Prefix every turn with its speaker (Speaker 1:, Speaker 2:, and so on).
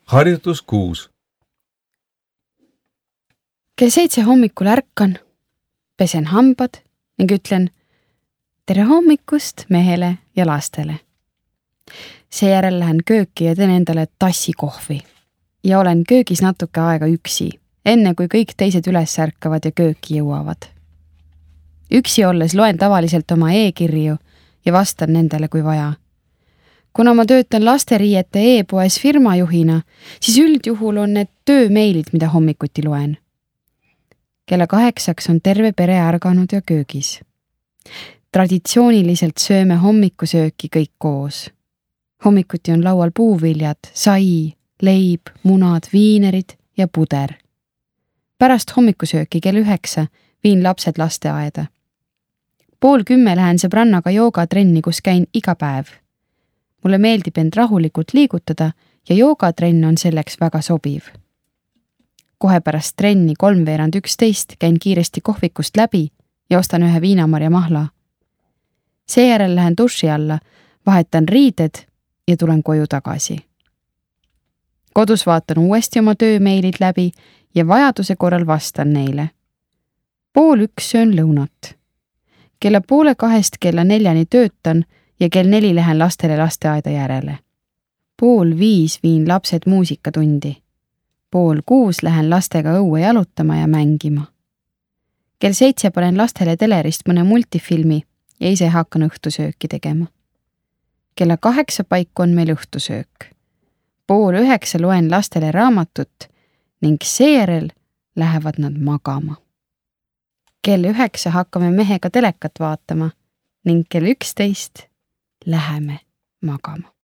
Speaker 1: Harjutus 6.
Speaker 2: Kell 7 hommikul ärkan, pesen hambad ning ütlen tere hommikust mehele ja lastele. Seejärel lähen kööki ja teen endale tassi kohvi ja olen köögis natuke aega üksi, enne kui kõik teised üles ärkavad ja kööki jõuavad. Üksi olles loen tavaliselt oma e-kirju ja vastan nendele kui vaja. Kuna ma töötan lasteriiete e-poes firmajuhina, siis üldjuhul on need töömeilid, mida hommikuti loen. Kella 8 on terve pere ärganud ja köögis. Traditsiooniliselt sööme hommikusööki kõik koos. Hommikuti on laual puuviljad, sai, leib, munad, viinerid ja puder. Pärast hommikusööki kell 9 viin lapsed lasteaeda. 9:30 lähen sõbrannaga joogatrenni, kus käin iga päev. Mulle meeldib end rahulikult liigutada ja joogatrenn on selleks väga sobiv. Kohe pärast trenni 11:30 käin kiiresti kohvikust läbi ja ostan ühe viinamarja mahla. Seejärel lähen duši alla, vahetan riided ja tulen koju tagasi. Kodus vaatan uuesti oma töömeilid läbi ja vajaduse korral vastan neile. 12:30 söön lõunat. Kella 1:30 kella 4 töötan ja kell 4 lähen lastele lasteaeda järele. 4:30 viin lapsed muusikatundi. 5:30 lähen lastega õue jalutama ja mängima. Kell 7 panen lastele telerist mõne multifilmi ja ise hakkan õhtusööki tegema. Kella 8 paiku on meil õhtusöök. 8:30 loen lastele raamatut ning seejärel lähevad nad magama. Kell 9 hakkame mehega telekat vaatama ning kell 11 läheme magama.